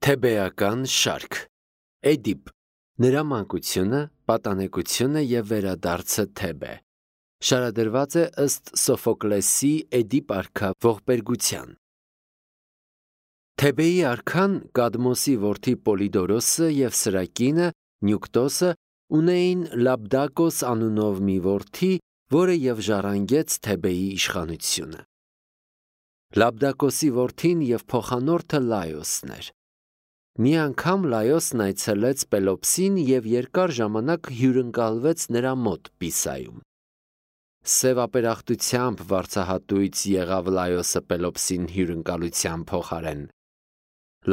Թեբեական շարք Էդիպ նրա մանկությունը, պատանեկությունը և վերադարձը Թեբե շարադրված է ըստ Սոֆոկլեսի Էդիպ արքա ողբերգության։ Թեբեի արքան Կադմոսի որդի Պոլիդորոսը և սրա կինը Նյուկտոսը ունեին Լաբդակոս անունով մի որդի, որը և ժառանգեց Թեբեի իշխանությունը։ Լաբդակոսի որդին և փոխանորդը Լայոսն էր։ Մի անգամ Լայոսն այցելեց Պելոպսին և երկար ժամանակ հյուրընկալվեց նրա մոտ Պիսայում։ Սև ապերախտությամբ վարձահատույց եղավ Լայոսը Պելոպսին հյուրընկալության փոխարեն։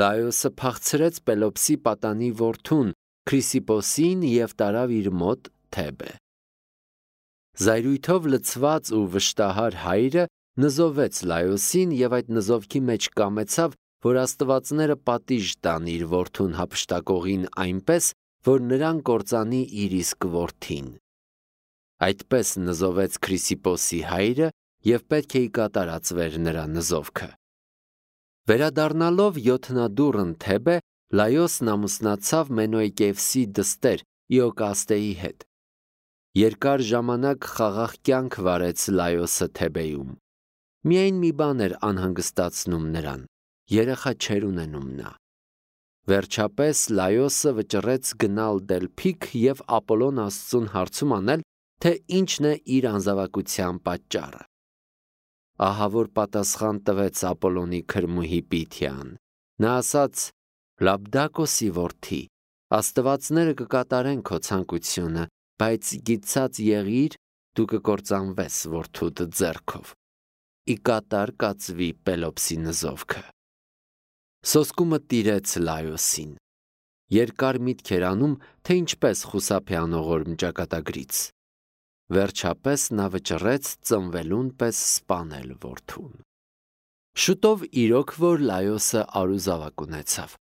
Լայոսը փախցրեց Պելոպսի պատանի որդուն Քրիսիպոսին և տարավ իր մոտ Թեբե։ Զայրույթով լցված ու վշտահար հայրը նզովեց Լայոսին և այդ նզովքի մեջ կամեցավ, որ աստվածները պատիժ տան իր որդուն հափշտակողին այնպես, որ նրան կործանի իր իսկ որդին։ Այդպես նզովեց Քրիսիպոսի հայրը և պետք է կատարածվեր նրա նզովքը։ Վերադառնալով յոթնադուռն Թեբե, Լայոսն ամուսնացավ Մենոյկևսի դստեր Իոկաստեի հետ։ Երկար ժամանակ խաղաղ կյանք վարեց Լայոսը Թեբեում։ Միայն մի բան էր անհանգստացնում նրան՝ երեխա չէր ունենում նա։ Վերջապես Լայոսը վճռեց գնալ Դելփիք և Ապոլոն Աստծուն հարցում անել, թե ինչն է իր անզավակության պատճառը։ Ահա որ պատասխան տվեց Ապոլոնի քրմուհի Պիթիան։ Նա ասաց. «Լաբդակոսի որդի, աստվածները կկատարեն քո ցանկությունը, բայց գիտած եղիր, դու կկործանվես որդուդ ձեռքով։ Ի կատար կացվի Պելոպսի նզովքը»։ Սոսկումը տիրեց Լայոսին։ Երկար միտք էր անում, թե ինչպես խուսափի անողորմ ճակատագրից։ Վերջապես նա վճռեց ծնվելուն պես սպանել որդուն։ Շուտով իրոք որ Լայոսը արուզավակ ունեցավ։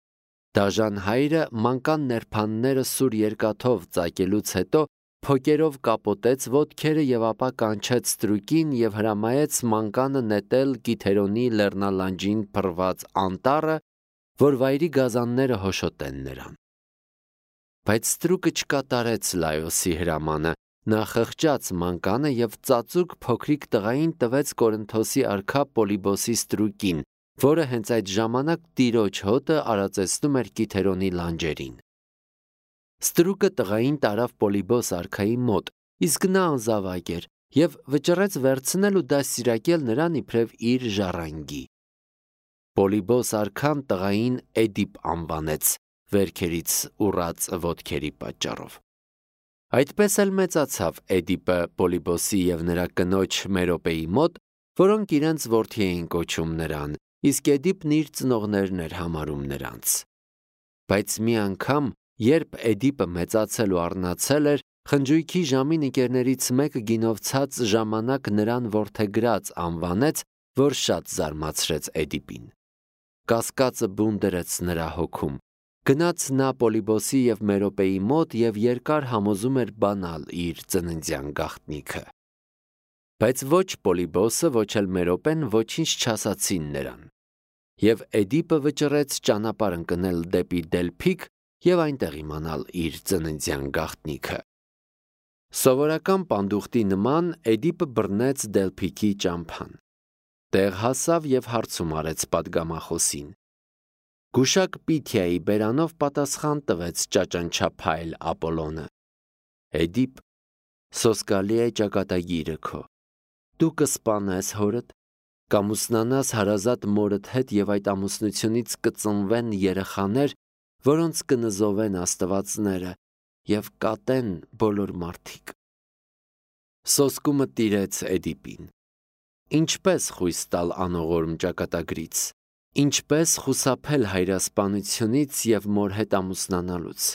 Դաժան հայրը մանկան ներփանները սուր երկաթով ծակելուց հետո փոկերով կապոտեց ոտքերը և ապա կանչեց ստրուկին և հրամայեց մանկանը նետել Կիթերոնի լեռնալանջին փռված անտառը, որ վայրի գազանները հոշոտեն նրան։ Բայց ստրուկը չկատարեց Լայոսի հրամանը, նա խղճաց մանկանը և ծածուկ փոքրիկ տղային տվեց Կորինթոսի արքա Պոլիբոսի ստրուկին, որը հենց այդ ժամանակ տիրոջ հոտը արածեցնում էր Կիթերոնի լանջերին։ Ստրուկը տղային տարավ Պոլիբոս արքայի մոտ, իսկ նա անզավակ էր և վճռեց վերցնել ու դաստիարակել նրան իբրև իր ժառանգի։ Պոլիբոս արքան տղային Էդիպ անվանեց վերքերից ուռած ոտքերի պատճառով։ Այդպես էլ մեծացավ Էդիպը Պոլիբոսի և նրա կնոջ Մերոպեի մոտ, որոնք իրենց որդի էին կոչում նրան, իսկ Էդիպն իր ծնողներն էր համարում նրանց։ Բայց մի անգամ, երբ Էդիպը մեծացել ու առնացել էր, խնջույքի ժամին ընկերներից մեկը գինովցած ժամանակ նրան որդեգրած անվանեց, որ շատ զարմացրեց Էդիպին։ Կասկածը բուն դրեց նրա հոգում։ Գնաց նա Պոլիբոսի և Մերոպեի մոտ և երկար համոզում էր բանալ իր ծննդյան գաղտնիքը։ Բայց ոչ Պոլիբոսը, ոչ էլ Մերոպեն ոչինչ չասացին նրան։ Եվ Էդիպը վճռեց ճանապարհ ընկնել դեպի Դելփիք և այնտեղ իմանալ իր ծննդյան գաղտնիքը։ Սովորական պանդուխտի նման Էդիպը բռնեց Դելփիքի ճամփան։ Տեղ հասավ և հարցում արեց պատգամախոսին։ Գուշակ Պիթիայի բերանով պատասխան տվեց ճաճանչափայլ Ապոլոնը. Էդիպ, սոսկալի է ճակատագիրը քո։ Դու կսպանես հորդ, կամուսնանաս հարազատ մորդ հետ և այդ ամուսնությունից կծնվեն երեխաներ, որոնց կնզովեն աստվածները և կատեն բոլոր մարդիկ։ Սոսկումը տիրեց Էդիպին։ Ինչպես խույս տալ անողորմ ճակատագրից։ Ինչպես խուսափել հայրասպանությունից և մոր հետ ամուսնանալուց։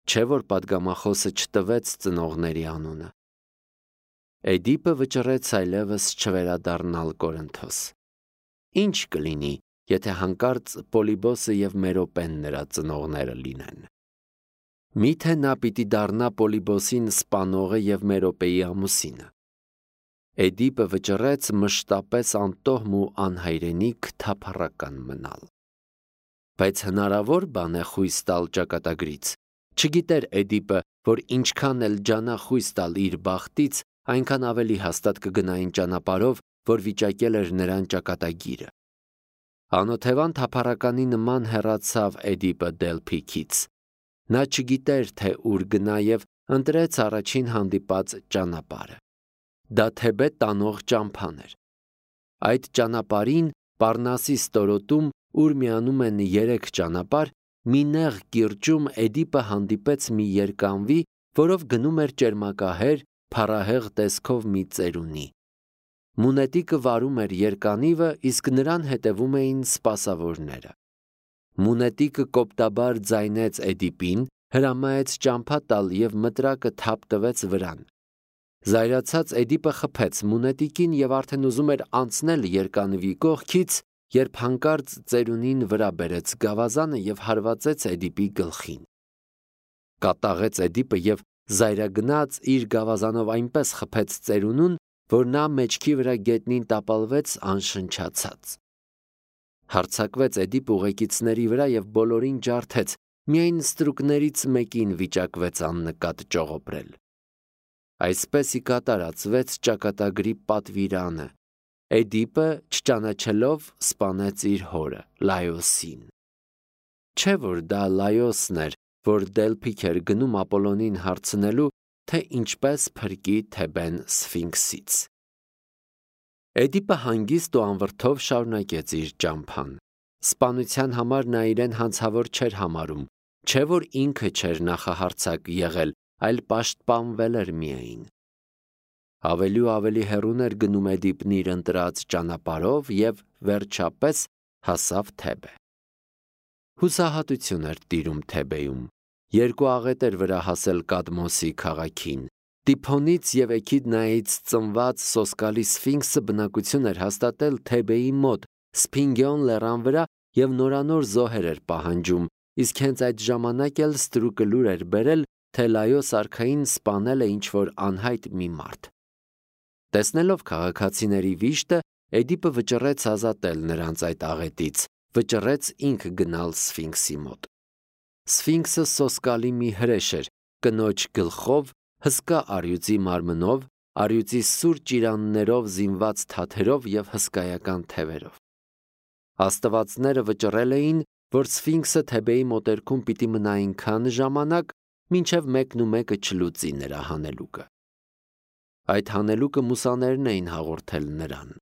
Չէ որ պատգամախոսը չտվեց ծնողների անունը։ Էդիպը վճռեց այլևս չվերադառնալ Կորինթոս։ Ինչ կլինի, եթե հանկարծ Պոլիբոսը և Մերոպեն նրա ծնողները լինեն։ Միթե նա պիտի դառնա Պոլիբոսին սպանողը և Մերոպեի ամուսինը։ Էդիպը վճռեց մշտապես անտոհմ ու անհայրենիք թափառական մնալ։ բայց հնարավոր բան է խույս տալ ճակատագրից։ Չգիտեր Էդիպը, որ ինչքան էլ ջանա խույս տալ իր բախտից, այնքան ավելի հաստատ կգնային ճանապարհով, որ վիճակել էր նրան ճակատագիրը։ Անօթևան թափառականի նման հեռացավ Էդիպը Դելփիքից։ Նա չգիտեր, թե ուր գնա եւ ընտրեց առաջին հանդիպած ճանապարհը։ Դա Թեբե տանող ճամփան էր։ Այդ ճանապարհին Պառնասի ստորոտում, ուր միանում են 3 ճանապարհ, մի նեղ կիրճում Էդիպը հանդիպեց մի երկանվի, որով գնում էր ճերմակահեր, փառահեղ տեսքով մի ծերունի։ Մունետիկը վարում էր երկանիվը, իսկ նրան հետևում էին սպասավորները։ Մունետիկը կոպտաբար ձայնեց Էդիպին, հրամայեց ճամփա տալ եւ մտրակը թափ տվեց վրան։ Զայրացած Էդիպը խփեց մունետիկին եւ արդեն ուզում էր անցնել երկանվի կողքից, երբ հանկարծ ծերունին վրա բերեց գավազանը եւ հարվածեց Էդիպի գլխին։ Կատաղեց Էդիպը եւ զայրագնաց իր գավազանով այնպես խփեց ծերունուն, որ նա մեջքի վրա գետնին տապալվեց անշնչացած։ Հարձակվեց Էդիպ ուղեկիցների վրա եւ բոլորին ջարդեց, միայն ստրուկներից մեկին վիճակվեց աննկատ ճողոպրել։ Այսպես ի կատարածվեց ճակատագրի պատվիրանը։ Էդիպը, չճանաչելով, սպանեց իր հորը, Լայոսին։ Չէ՞ որ դա Լայոսն էր, որ Դելփիք էր գնում Ապոլոնին հարցնելու, թե ինչպես փրկի Թեբեն Սֆինքսից։ Էդիպը հանգիստ ու անվրդով շարունակեց իր ճամփան։ Սպանության համար նա իրեն հանցավոր չէր համարում, չէ՞ որ ինքը չէր նախահարձակ եղել, այլ պաշտպանվել էր միայն։ Ավելի ու ավելի հեռուն էր գնում Էդիպն իր ընտրած ճանապարհով եւ վերջապես հասավ Թեբե։ Հուսահատություն էր տիրում Թեբեում։ 2 աղետ էր վրա հասել Կադմոսի քաղաքին։ Տիփոնից եւ Էքիդնայից ծնված սոսկալի Սֆինքսը բնակություն էր հաստատել Թեբեի մոտ, Սփինգիոն լեռան վրա եւ նորանոր զոհեր էր պահանջում, իսկ հենց այդ ժամանակ էլ ստրուկը լուր էր բերել, թե Լայոս արքային սպանել է ինչ-որ անհայտ մի մարդ։ Տեսնելով քաղաքացիների վիշտը, Էդիպը վճռեց ազատել նրանց այդ աղետից, վճռեց ինքը գնալ Սֆինքսի մոտ։ Սֆինքսը սոսկալի մի հրեշ էր, կնոջ գլխով, հսկա առյուծի մարմնով, առյուծի սուր ճիրաններով զինված թաթերով եւ հսկայական թևերով։ Աստվածները վճռել էին, որ Սֆինքսը Թեբեի մոտերքում պիտի մնա այնքան ժամանակ, մինչև 1-1 չլուծի նրա հանելուկը։ Այդ հանելուկը մուսաներն էին հաղորդել նրան։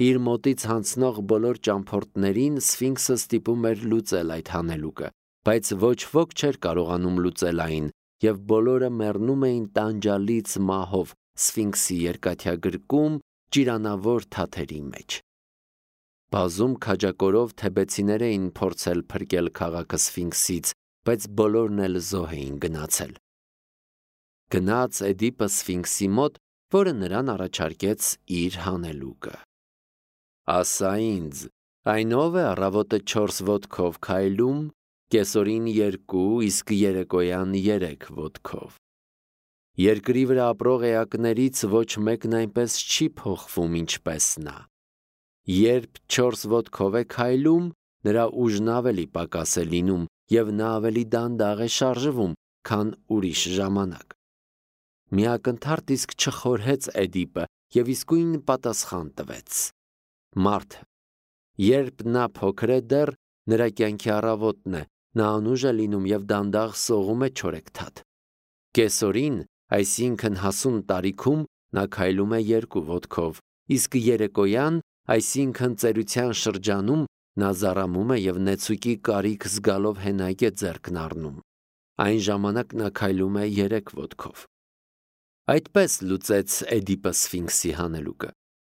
Իր մոտից հանցնող բոլոր ճամփորդներին Սֆինքսը ստիպում էր լուծել այդ հանելուկը, բայց ոչ ոք չէր կարողանում լուծել այն, եւ բոլորը մեռնում էին տանջալից մահով Սֆինքսի երկաթյագրկում ճիրանավոր թաթերի մեջ։ Բազում քաջակորով թեբեցիներ էին փորձել փրկել քաղաքը Սֆինքսից, բայց բոլորն էլ զոհ էին գնացել։ Գնաց Էդիպը Սֆինքսի մոտ, որը նրան առաջարկեց իր հանելուկը։ Ասա ինձ, այն ով է առավոտը 4 ոտքով քայլում, կեսօրին 2, իսկ երեկոյան 3 ոտքով։ Երկրի վրա ապրող էակներից ոչ մեկն այնպես չի փոխվում, ինչպես նա։ Երբ 4 ոտքով է քայլում, նրա ուժն ավելի պակաս է լինում եւ նա ավելի դանդաղ է շարժվում, քան ուրիշ ժամանակ։ Միակնթարթ իսկ չխորհեց Էդիպը եւ իսկույն պատասխան տվեց. Մարդ, երբ նա փոքր է դեռ, նրա կյանքի առավոտն է, նա անուժ է լինում եւ դանդաղ սողում է չորեքթաթ։ Կեսօրին, այսինքն հասուն տարիքում, նա քայլում է 2 ոտքով, իսկ երեկոյան, այսինքն ծերության շրջանում, նա զառամում է եւ նեցուկի կարիք զգալով հենայք է ձեռքն առնում։ Այն ժամանակ նա քայլում է 3 ոտքով։ Այդպես լուծեց Էդիպը Սֆինքսի հանելուկը,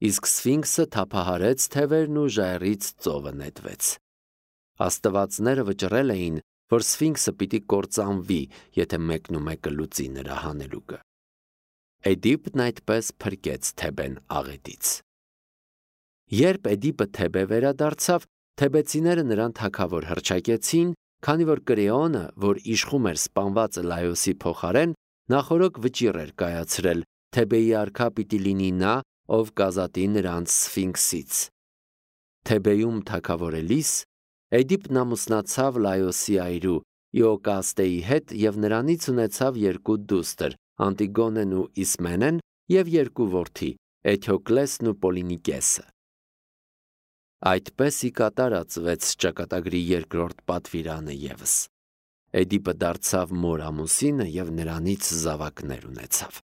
իսկ Սֆինքսը թափահարեց թևերն ու ժայռից ծովը նետվեց։ Աստվածները վճռել էին, որ Սֆինքսը պիտի կործանվի, եթե 1-1 լուծի նրա հանելուկը։ Էդիպն այդպես փրկեց Թեբեն աղետից։ Երբ Էդիպը Թեբե վերադարձավ, թեբեցիները նրան թագավոր հռչակեցին, քանի որ Կրեոնը, որ իշխում էր սպանված Լայոսի փոխարեն, նախորոք վճիռ էր կայացրել, Թեբեի արքա պիտի լինի նա, ով կազատի նրանց Սֆինքսից։ Թեբեում թագավորելիս Էդիպն ամուսնացավ Լայոսի այրու Իոկաստեի հետ և նրանից ունեցավ 2 դուստր, Անտիգոնեն ու Իսմենեն և 2 որդի, Էթյոկլեսն ու Պոլինիկեսը։ Այդպես ի կատարածվեց ճակատագրի 2-րդ պատվիրանը ևս։ Էդիպը դարձավ մոր ամուսինը և նրանից զավակներ ունեցավ։